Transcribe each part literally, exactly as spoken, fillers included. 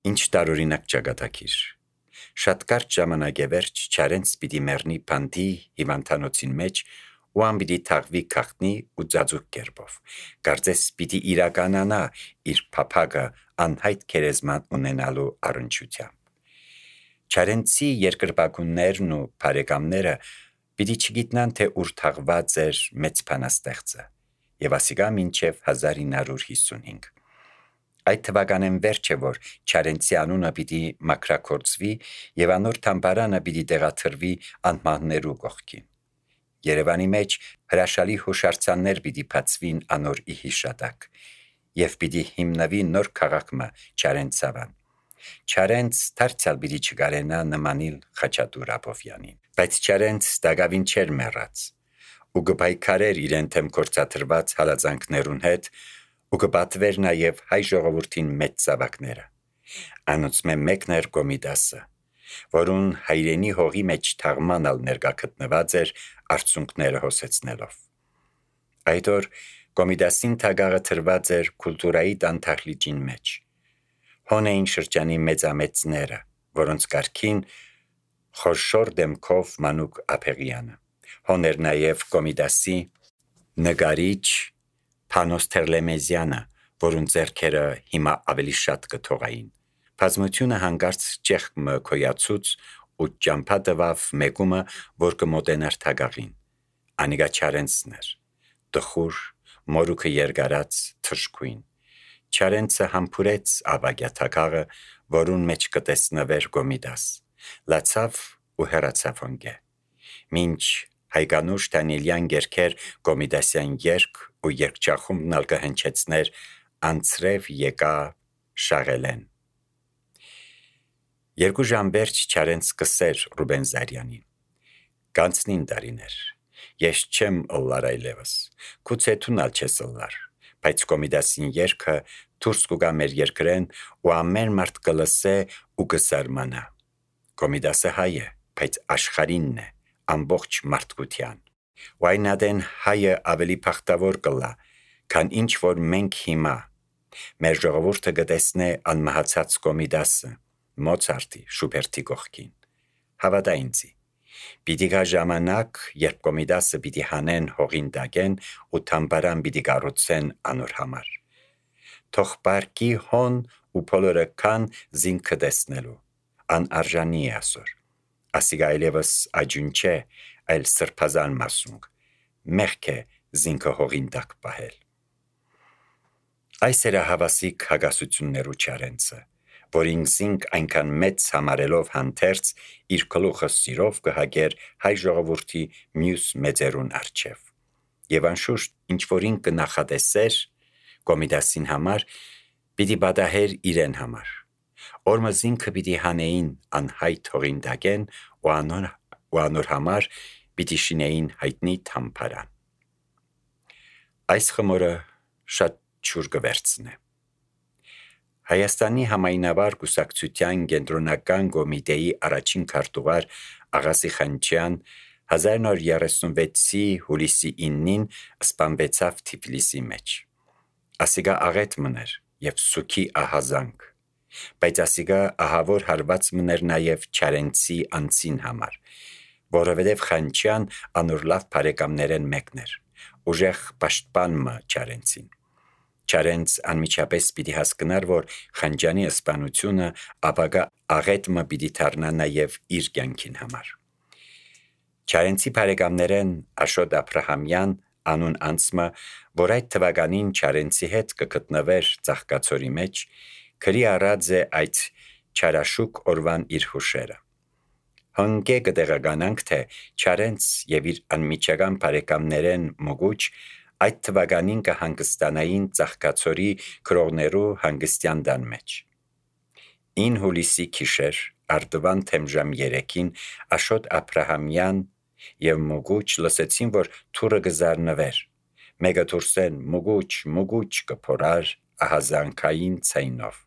Ինչ տարօրինակ ճակատագիր։ Շատ կարճ ժամանակ է վերջ Չարենց պիտի մեռնի փանդի հիվանդանոցին մեջ ու ան պիտի թաղվի քաղտնի ու ծածուկ կերպով։ Կարծես պիտի իրականանա իր փափագը անհայտ քերեզման ունենալու առնչությամբ։ Չարենցի երկրպագուններն ու բարեկամները պիտի չգիտնան, թե ուր թաղված էր մեծ բանաստեղծը, եւ ասիկա մինչև հազար ինը հարյուր հիսունհինգ։ Այդ թվականեն վերջ է, որ Չարենցի անունը պիտի մաքրաքործվի եւ անոր թամբարանը պիտի տեղաթրվի անմահներու կողքին։ Երևանի մեջ հրաշալի հուշարձաններ պիտի բացվին անոր ի հիշատակ եւ պիտի հիմնվի նոր քաղաքը Չարենցավան։ Չարենց դարձյալ պիտի չկարենա նմանիլ Խաչատուր Աբովյանին։ Բայց Չարենց դակավին չէր մեռած ու կպայքարեր իրեն թեմ կործաթրված հալածանքներուն հետ ու կպատվեր նաև հայ ժողովրդին մեծ զավակները։ Անոնցմե մեկն էր Կոմիդասը, որուն հայրենի հողի մեջ թաղմանալ ներկա գտնված էր արցունքները հոսեցնելով։ Այդ օր Կոմիդասին թագաղը թրված էր քուլտուրայի տանթախլիճին մեջ։ Հոն էին շրջանի մեծամեծները, որոնց կարգին խորշոր դեմքով Մանուկ Ափեղյանը։ Հոն էր նաև Կոմիդասի նկարիչ Փանոս Թերլեմեզյանը, որուն ձեռքերը հիմա ավելի շատ կթողային։ Բազմությունը հանկարծ ճեղքը քոյացուց ու ճամփա տվավ մեկումը, որ կմոտենար թագաղին։ Անիգա Չարենցն էր, տխուր, մորուքը երկարած, թշկույն։ Չարենցը համբուրեց Աբագյա թագաղը, որուն մեջ կտեսնվեր Կոմիդաս, լացավ ու հեռացավ հոնգե։ Մինչ Հայկանուշ Դանիելյան երգեր Կոմիդասյան երգ ու երգչախումբն ալ կհնչեցներ անցրև եկա Շաղելեն։ Երկու ժամ վերջ Չարենց կսեր Ռուբեն Զարյանին։ Կանցնին տարիներ, ես չեմ ըլլար այլևս, քուցե թունալ չես ըլլար, բայց Կոմիդասին երգը դուրս կուգա մեր երկրեն ու ամեն մարդ կլսե ու կզարմանա։ Կոմիդասը հայ է, բայց աշխարհինն է, ամբողջ մարդկության։ Ու այն ադեն հայը ավելի փախտավոր կլա, քան ինչ որ մենք հիմա։ Մեր ժողովուրդը կտեսնե անմահացած Կոմիդասը, Մոցարտի, Շուբերտի կողքին։ Հավատա ինձի, պիտի գա ժամանակ, երբ Կոմիդասը պիտի հանեն հողին տակեն ու թամբարան պիտի կառուցեն անոր համար։ Թող պարկի հոն ու բոլորը կան զինքը տեսնելու, անարժանի է ասոր։ Ասիգա այլևս աջուն չէ, այլ սրբազան մասունք, մեղք է զինքը հողին տակ պահել։ Այս էր հավասիկ հագասություններու Չարենցը, որին զինք այնքան մեծ համարելով հանդերձ իր գլուխը սիրով կհագեր հայ ժողովրդի մյուս մեծերուն առջև։ Եվ անշուշտ ինչ որին կնախատեսեր Կոմիդասին համար, պիտի բադահեր իրեն համար։ Օրմը զինքը պիտի հանեին անհայտ հողին տակեն ու անոր, ու անոր համար պիտի շինեին հայտնի թամբարան։ Այս խմորը շատ չուր կվերցնե։ Հայաստանի համայնավար կուսակցության կենտրոնական կոմիտեի առաջին քարտուղար Աղասի Խանչյան հազար նոր երեսունվեցի հուլիսի իննին սպանվեցավ Թիֆլիսի մեջ։ Ասիգա աղետ մներ եւ սուքի ահազանք, բայց ասիգա ահավոր հարված մներ նաև Չարենցի անցին համար, որովհետև Խանչյան անոր լավ բարեկամներեն մեկն էր, ուժեղ պաշտպանը Չարենցին։ Չարենց անմիջապես պիտի հասկնար, որ Խանջյանի սպանությունը ապագա աղետը պիտի դառնա նաև իր կյանքին համար։ Չարենցի բարեկամներեն Աշոտ Աբրահամյան անուն անցմը, որ այդ թվականին Չարենցի հետ կգտնվեր Ծաղկացորի մեջ, քրի առած է այդ չարաշուկ օրվան իր հուշերը։ Հնկե կտեղականանք, թե Չարենց եւ իր անմիջական բարեկամներեն Մոգուչ այդ թվականին կհանգստանային Ծաղկացորի քրողներու հանգստյան տան մեջ։ Ին հուլիսի գիշեր արդվան թեմժամ երեքին Աշոտ Աբրահամյան եւ Մոգուչ լսեցին, որ թուրը կզարնվեր։ Մեկը դուրսեն Մոգուչ, Մոգուչ կփորար ահազանգային ցայնով։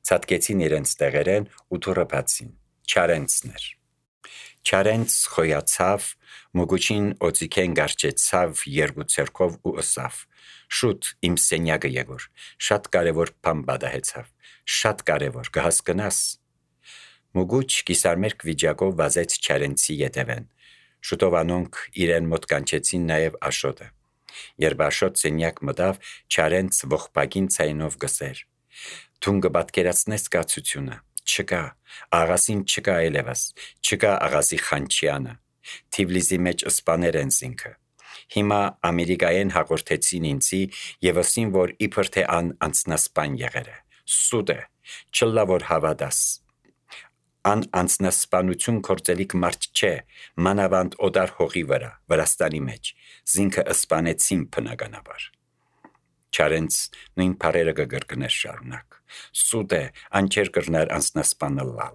Ցածկեցին իրենց տեղերեն ու թուրը բացին։ Չարենցն էր։ Չարենց խոյացավ, մուգուչին օծիքեն գարչեցավ երկու ցերկով ու ըսավ. «Շուտ իմ սենյակը եկոր, շատ կարևոր բան պատահեցավ, շատ կարևոր, կհասկնաս»։ Մուգուչ կիսարմերկ վիճակով վազեց Չարենցի ետևեն։ Շուտով անոնք իրեն մոտ կանչեցին նաև Աշոտը։ Երբ Աշոտ սենյակ մտավ, Չարենց ողբագին ցայնով գսեր. «Դուն կպատկերացնես կացությունը, չկա, աղասին չկա այլևս, չկա աղասի Խանչյանը, Թիֆլիսի մեջ սպաներ են զինքը։ Հիմա ամերիկայեն հաղորդեցին ինձի եւ ասին, որ իբր թե ան անձնասպան եղել է։ Սուտ է, չլա որ հավատաս։ Ան անձնասպանություն կործելիք մարդ չէ, մանավանդ օտար հողի վրա, Վրաստանի մեջ, զինքը սպանեցին բնականաբար»։ Չարենց նույն բարերը կգրկներ շարունակ. «Սուտ է, ան չեր կրնար անձնասպանը լալ։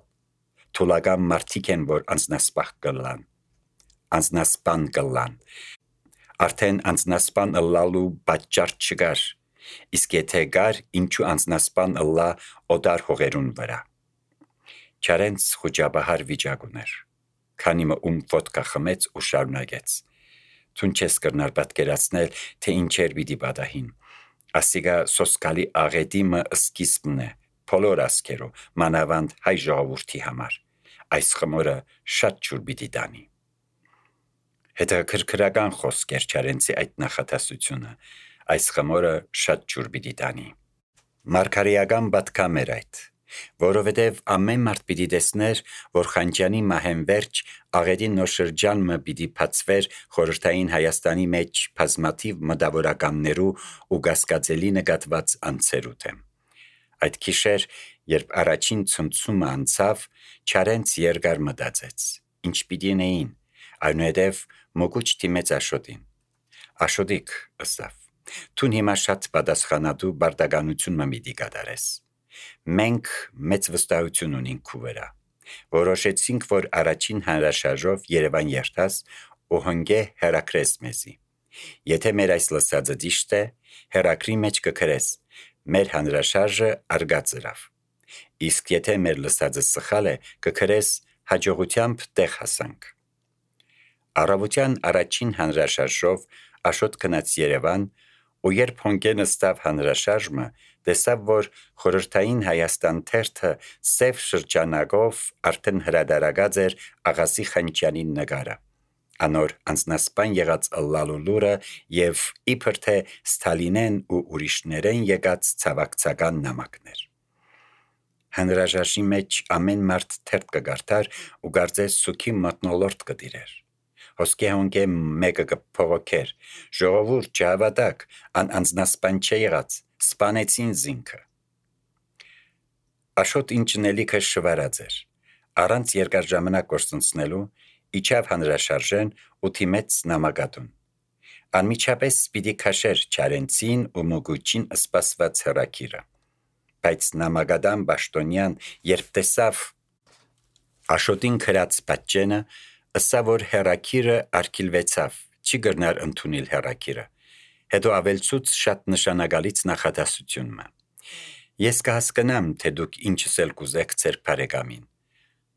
Թուլական մարդիկ են, որ անձնասպան կլան, անձնասպան կլան։ Արդեն անձնասպան լալու պատճառ չկար, իսկ եթե կար, ինչու անձնասպան լա օտար հողերուն վրա»։ Չարենց խուճապահար վիճակ ուներ։ Քանի մը ում ոտքա խմեց ու շարունակեց. «Դուն չես կրնար պատկերացնել, թե ինչեր պիտի պատահին։ Ասիկա սոսկալի աղետի մը սկիզբն է, բոլոր ասկերու, մանավանդ հայ ժողովուրդի համար։ Այս խմորը շատ ջուր պիտի տանի»։ Հետաքրքրական խոսք էր Չարենցի այդ նախատասությունը. այս խմորը շատ ջուր պիտի տանի։ Մարգարեական պատգամ էր այդ, որովհետև ամեն մարդ պիտի տեսներ, որ Խանչյանի մահեն վերջ աղետի նոր շրջան մը պիտի բացվեր խորհրդային Հայաստանի մեջ բազմաթիվ մտավորականներու ու կասկածելի նկատված անձերու դեմ։ Այդ գիշեր, երբ առաջին ցնցումը անցավ, Չարենց երկար մտածեց. ինչ պիտի նեին, այնուհետև մոգուչ դիմեց Աշոտին. «Աշոտիկ», ըսավ, «Դուն հիմա շատ պատասխանատու բարտականություն մը պիտի կատարես։ Մենք մեծ վստահություն ունենք քու վրա։ Որոշեցինք, որ առաջին հանրաշարժով Երևան երթաս ու հնգե հեռաքրես մեզի։ Եթե մեր այս լսածը ճիշտ է, հեռաքրի մեջ կգրես. մեր հանրաշարժը արգած ըրավ։ Իսկ եթե մեր լսածը սխալ է, կգրես հաջողությամբ տեղ հասանք»։ Առավոտյան առաջին հանրաշարժով Աշոտ գնաց Երևան ու երբ հոնկե նստավ հանրաշարժը, տեսավ, որ խորհրդային Հայաստան թերթը սև շրջանակով արդեն հրադարագած էր աղասի Խանչյանի նկարը, անոր անձնասպան եղած ըլլալու լուրը եւ իբր թե Ստալինեն ու ուրիշներեն եկած ցավակցական նամակներ։ Հանրաշարժի մեջ ամեն մարդ թերթ կգարթար ու կարծես սուքի մթնոլորտ կդիրեր։ Հոսքի հոնկե մեկը կփողոքեր. «Ժողովուրդ, չհավատաք, ան անձնասպան չէ եղած, սպանեցին զինքը»։ Աշոտ ինջնելիքը շվարած էր։ Առանց երկար ժամանակ կորցնցնելու իջավ հանրաշարժեն ու թիմեց նամակատուն։ Անմիջապես պիտի քաշեր Չարենցին ու մոգուչին սպասված հեռաքիրը։ Բայց նամակադան Բաշտոնյան, երբ տեսավ Աշոտին գրած պատճենը, ըսավ, որ հեռաքիրը արգիլվեցավ, չի կրնար ընդունել հեռաքիրը։ Հետո ավելցուց շատ նշանակալից նախադասությունը. «Ես կհասկնամ, թե դուք ինչս էլ կուզեք ձեր բարեկամին,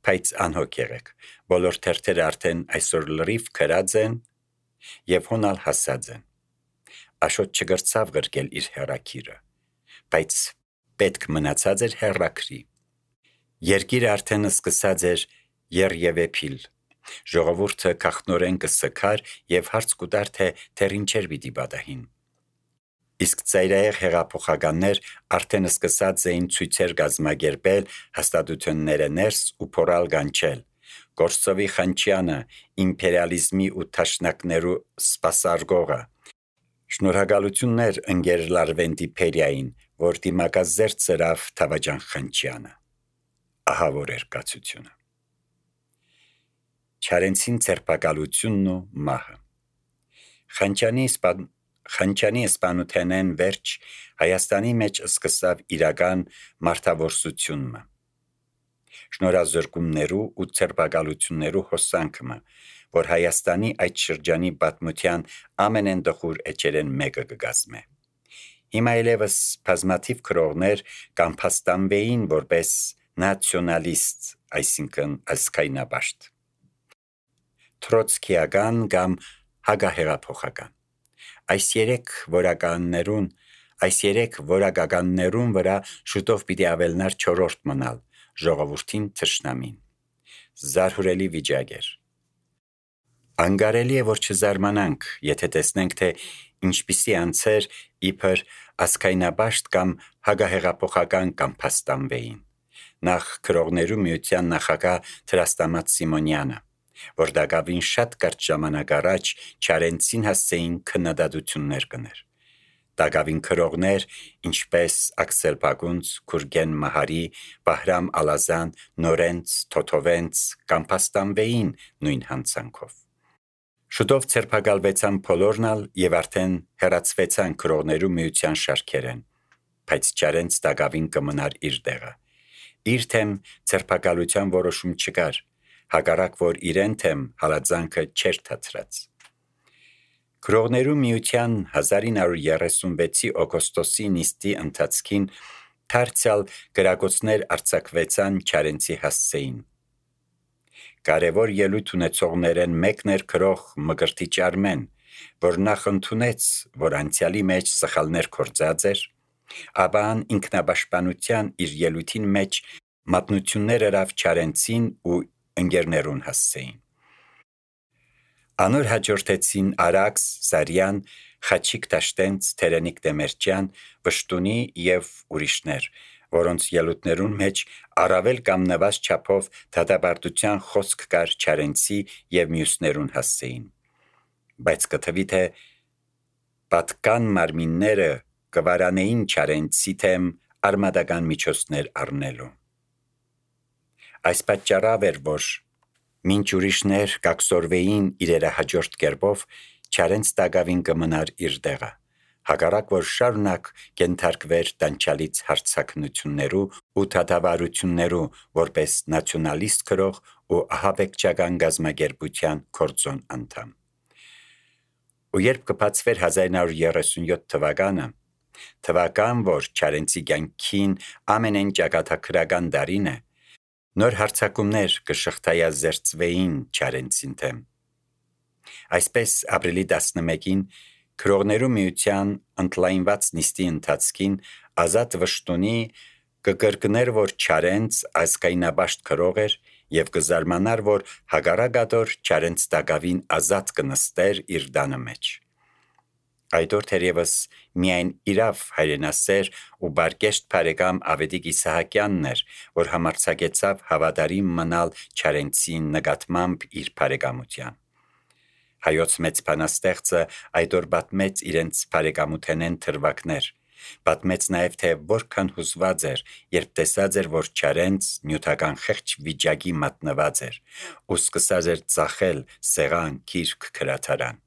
բայց անհոգ եղեք, բոլոր թերթերը արդեն այսօր լրիվ գրած են եւ հոնալ հասած են»։ Աշոտ չգրցավ գրկել իր հեռաքիրը, բայց պետք մնացած էր հեռաքրի։ Երկիրը արդեն սկսած էր երևեփիլ։ Ժողովուրդը քաղտնորեն կսքար եւ հարց կուտար, թե դեռ ինչեր պիտի պատահին։ Իսկ ծայրահեղ հեղափոխականներ արդեն սկսած էին ցույցեր կազմակերպել, հաստատությունները ներս ու փորալ կանչել. «Կորսովի Խանչյանը, իմպերիալիզմի ու թաշնակներու սպասարկողը։ Շնորհակալություններ ընկեր Լարվենտի-Փերիային, որ դիմակազերծ ծրավ Թավաջան Խանչյանը»։ Ահա որ էր կացությունը։ Չարենցին ցերպակալությունն ու մահը։ Խանչյանի սպան... Խանչյանի սպանութենեն վերջ Հայաստանի մեջ սկսավ իրական մարդավորսությունը։ Շնորհազրկումներու ու ցերպակալություններու հոսանքը, որ Հայաստանի այդ շրջանի պատմության ամենεντխուր էջերեն մեկը կգազմե։ Հիմա այլևս բազմաթիվ քրողներ կամփաստանվեին որպես նացիոնալիստ, այսինքն ազգայնապաշտ։ թրոցքիական կամ հագահեղափոխական։ Այս երեք որականներուն Այս երեք որակականներուն վրա շուտով պիտի ավելնար չորրորդ մնալ, ժողովրդին թշնամին։ Զարհուրելի վիճակ էր։ Անգարելի է, որ չզարմանանք, եթե տեսնենք, թե ինչպիսի անձեր իբր ազգայնաբաշտ կամ հագահեղափոխական կամ փաստանվեին։ Նախ Քրողներու միության նախագահ Թրաստամատ Սիմոնյանը, որ դակավին շատ կարճ ժամանակ առաջ Չարենցին հասցեին քննադատություններ կներ։ Դակավին քրողներ, ինչպես Աքսել Պագունց, Գուրգեն Մահարի, Բահրամ Ալազան, Նորենց, Թոթովենց կամ փաստանվեին նույն հանցանքով։ Շուտով ցերպակալվեցան բոլորնալ եւ արդեն հեռացվեցան Քրողներու միության շարքերեն, բայց Չարենց դակավին կմնար իր տեղը։ Իր թեմ ցերպակալության որոշում չկար, հակառակ որ իրեն թեմ հալածանքը չէր թացրած։ Քրողներու միության հազար ինը հարյուր երեսունվեցի օգոստոսի նիստի ընթացքին դարձյալ գրակոծներ արձակվեցան Չարենցի հասցեին։ Կարևոր ելույթ ունեցողներեն մեկն էր քրող Մկրտիչ Արմեն, որ նախ ընդունեց, որ անցյալի մեջ սխալներ կործած էր, ապա ինքնապաշտպանության իր ելույթին մեջ մատնություններ հրավ Չարենցին ու ընկերներուն հասցեին։ Անոր հաջորդեցին Արաքս, Զարյան, Խաչիկ Տաշտենց, Թերենիկ Դեմերճյան, Վշտունի եւ ուրիշներ, որոնց ելույթներուն մեջ առավել կամ նվազ չափով դատապարտության խոսք կար Չարենցի եւ մյուսներուն հասցեին։ Բայց կթվի թե պատկան մարմինները կվարանեին Չարենցի թեմ արմատական միջոցներ առնելու։ Այս պատճառով էր, որ մինչ ուրիշներ կակսորվեին իրերը հաջորդ կերպով, Չարենց դակավին կմնար իր տեղը, հակառակ որ շարունակ կենթարկվեր տանջալից հարձակնություններու ու դատավարություններու որպես նացիոնալիստ քրող ու ահաբեկչական գազམ་ագերբության կորձոն անդամ։ Ու երբ կբացվեր հազար ինը հարյուր երեսունյոթ թվականը, թվական, որ Չարենցի կյանքին ամենեն ճակատագրական դարին է, նոր հարձակումներ կշղթայազերծվեին Չարենցին թեմ։ Այսպես ապրիլի տասնմեկին Քրողներու միության ընդլայնված նիստի ընթացքին Ազատ Վշտունի կկրկներ, որ Չարենց ազգայնաբաշտ քրող էր եւ կզարմանար, որ հագարակադոր Չարենց դակավին ազատ կնստեր իր դանը մեջ։ Այդ օր թերևս միայն իրավ հայրենասեր ու բարգեշտ բարեկամ Ավետիք Իսահակյանն էր, որ համարձակեցավ հավատարիմ մնալ Չարենցի նկատմամբ իր բարեկամության։ Հայոց մեծ բանաստեղծը այդ օր պատմեց իրենց բարեկամութենեն թրվակներ, պատմեց նաև թե որքան հուզված էր, երբ տեսած էր, որ Չարենց նյութական խեղճ վիճակի մատնված էր ու սկսած էր ծախել սեղան, գիրք, գրադարան։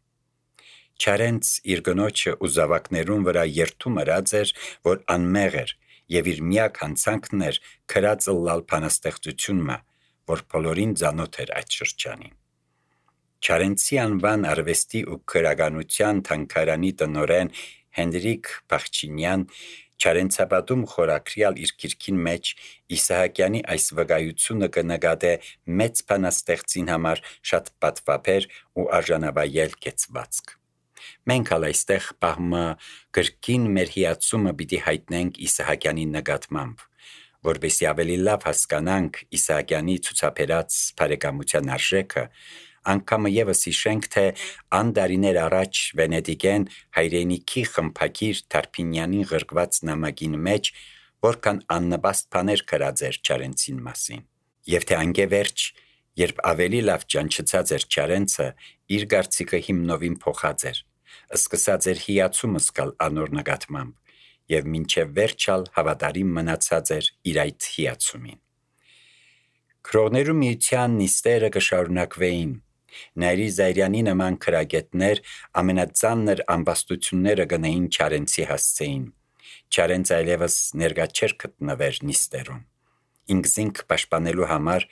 Չարենց իր գնոջը ու զավակներուն վրա երթում ըրած էր, որ անմեղ էր եւ իր միակ հանցանքն էր քրածը լալ բանաստեղծությունը, որ բոլորին ծանոթ էր այդ շրջանին։ Չարենցի անվան արվեստի ու քրականության թանգարանի տնօրեն Հենրիկ Բախչինյան Չարենցապատում խորակրյալ իր գիրքին մեջ Իսահակյանի այս վկայությունը կնկատե մեծ բանաստեղծին համար շատ պատվաբեր ու արժանավայել կեցվածք։ Մենք ալ այստեղ պահմը գրքին մեր հիացումը պիտի հայտնենք Իսահակյանի նկատմամբ, որպեսզի ավելի լավ հասկանանք Իսահակյանի ցուցաբերած բարեկամության արժեքը, անգամը եւս հիշենք, թե ան տարիներ առաջ Վենետիկեն հայրենիքի խմբագիր Թարփինյանին ղրկված նամակին մեջ որքան աննպաստ բաներ գրած էր Չարենցին մասին, եւ թե անգևերջ, երբ ավելի լավ ճանչծած էր Չարենցը, իր կարծիքը հիմնովին փոխած էր, սկսած էր հիացումը զգալ անոր նկատմամբ եւ մինչեւ վերջալ հավատարիմ մնացած էր իր այդ հիացումին։ Քրողներու միության նիստերը կշարունակվեին։ Նայրի Զայրյանի նման քրագետներ ամենածանր ամբաստությունները գնային Չարենցի հասցեին։ Չարենց այլևս ներկա չէր գտնվեր նիստերում։ Ինքզինք պաշտպանելու համար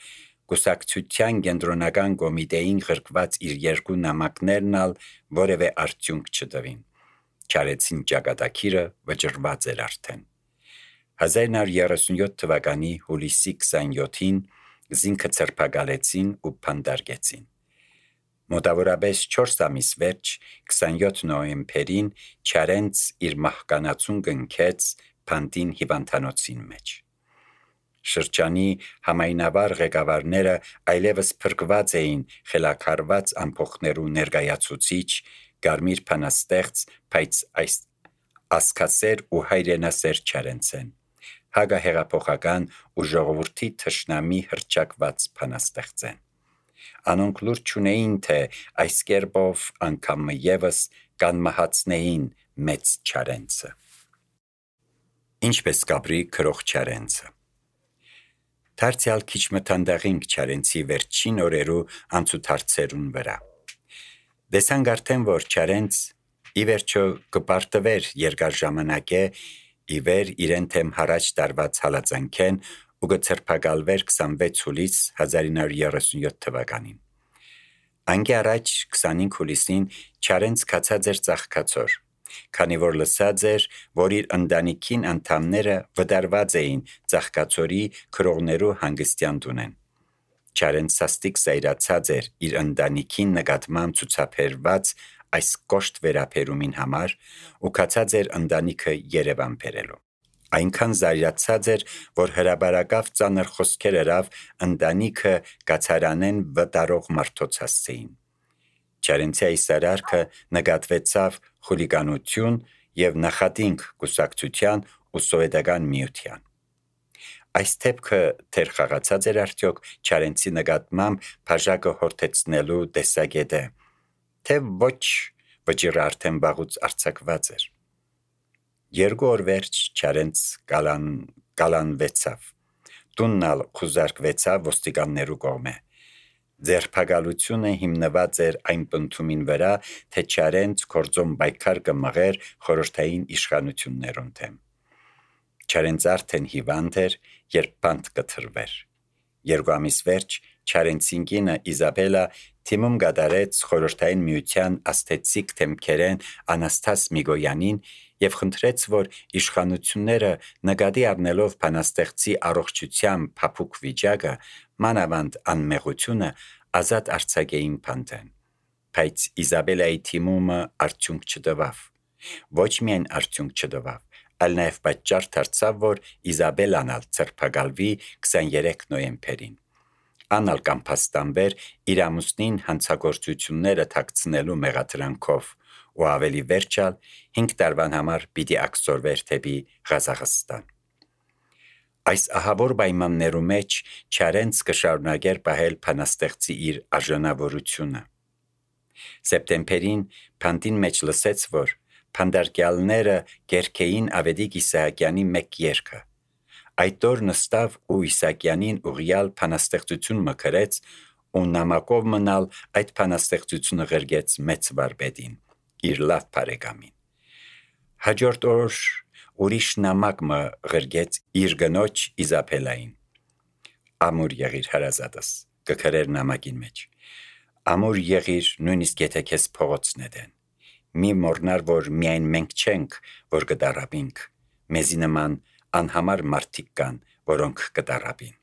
կուսակցության կենտրոնական կոմիտեին ղրկված իր երկու նամակներն ալ որևէ արդյունք չտվին։ Չարենցին ճակատագիրը վճռված էր արդեն։ հազար ինը հարյուր երեսունյոթ թվականի հուլիսի քսանյոթին զինքը ցերպակալեցին ու փանդարգեցին։ Մոտավորապես չորս ամիս վերջ քսանյոթ նոյեմբերին Չարենց իր մահկանացուն կնքեց Փանտին հիվանդանոցին մեջ։ Շրջանի համայնավար ղեկավարները այլևս փրկված էին խելաքարված ամփոխներու ներկայացուցիչ, Կարմիր փանաստեղծ, բայց այս ասկասեր ու հայրենասեր Չարենցեն, հագահեղափոխական ու ժողովրդի թշնամի հռչակված փանաստեղծեն։ Անոնք լուր չունեին, թե այս կերպով անգամ ևս կանմահացնեին մեծ Չարենցը։ Ինչպես կապրի քրող Չարենցը։ Դարձյալ քիչ մթանդաղինք Չարենցի վերջին օրերու անցուդարձերուն վրա։ Դեսանք արդեն, որ Չարենց ի վերջո կպարտվեր երկար ժամանակե ի վեր իրեն թեմ հարաճ տարված հալածանքեն ու կցրփակալվեր քսանվեց հուլիս հազար ինը հարյուր երեսունյոթ թվականին։ Անկի առաջ քսանհինգ հուլիսին Չարենց կացած էր ծաղկացոր, քանի որ լսած էր, որ իր ընտանիքին անդամները վդարված էին ծաղկացորի քրողներու հանգստյան տունեն։ Չարենց սաստիկ զայրացած էր իր ընտանիքին նկատմամբ ցուցաբերված այս կոշտ վերաբերումին համար ու կացած էր ընտանիքը Երևան բերելու։ Այնքան զայրացած էր, որ հրաբարակավ ծանր խոսքեր երավ ընտանիքը կացարանեն վտարող մարդոց հասցեին։ Չարենցի այս արարքը նկատվեցավ խուլիգանություն և նախատինք կուսակցության ու սովետական միության։ Այս դեպքը թեր խաղացած էր արդյոք Չարենցի նկատմամբ բաժակը հորդեցնելու տեսակետը, թե ոչ վճիռը արդեն վաղուց արձակված էր։ Երկու օր վերջ Չարենց կալան, կալանվեցավ, տունն ալ խուզարկվեցավ ոստիկաններու կողմէ։ Ձերբակալությունը հիմնված էր այն պնդումին վրա, թե Չարենց գործոն պայքար կմղեր խորհրդային իշխանություններուն դեմ։ Չարենց արդեն հիվանդ էր, երբ բանտ կթրվեր։ Երկու ամիս վերջ Չարենցին կինը Իզաբելա թիմում կատարեց խորհրդային միության աստեցիկ թեմքերեն Անաստաս Միգոյանին և խնդրեց, որ իշխանությունները նկատի առնելով բանաստեղծի առողջության փափուկ վիճակը, մանավանդ անմեղությունը, ազատ արձակեին բանտեն։ Բայց Իզաբելայի թիմումը արդյունք չտվավ։ Ոչ միայն արդյունք չտվավ, այլ նաև պատճառ դարձավ, որ Իզաբելան ալ ձերբակալվի քսաներեք նոյեմբերին։ Անալ կամփաստանվեր իր ամուսնին հանցագործությունները թաքցնելու մեղադրանքով ու ավելի վերջալ հինգ տարվան համար պիտի աքսորվեր դեպի Ղազախստան։ Այս ահավոր պայմաններու մեջ Չարենց կշարունակեր պահել բանաստեղծի իր արժանավորությունը։ Սեպտեմբերին Փանտին մեջ լսեց, որ փանդարկյալները կերքեին Ավետիք Իսահակյանի մեկ երգը։ Այդ օր նստավ ու Իսահակյանին ուղիալ բանաստեղծություն մքրեց ու նամակով մնալ այդ բանաստեղծությունը ղրգեց մեծ վարպետին, իր լավ բարեկամին։ Հաջորդ օր ուրիշ նամակ մը ղրգեց իր գնոջ Իզաբելային։ Ամուր եղիր հարազատս, կգրեր նամակին մեջ։ Ամուր եղիր նույնիսկ եթե քեզ փողոցն էդեն։ Մի մոռնար, որ միայն մենք չենք, որ կդարաբինք, մեզի նման անհամար մարդիկ կան, որոնք կդարաբին։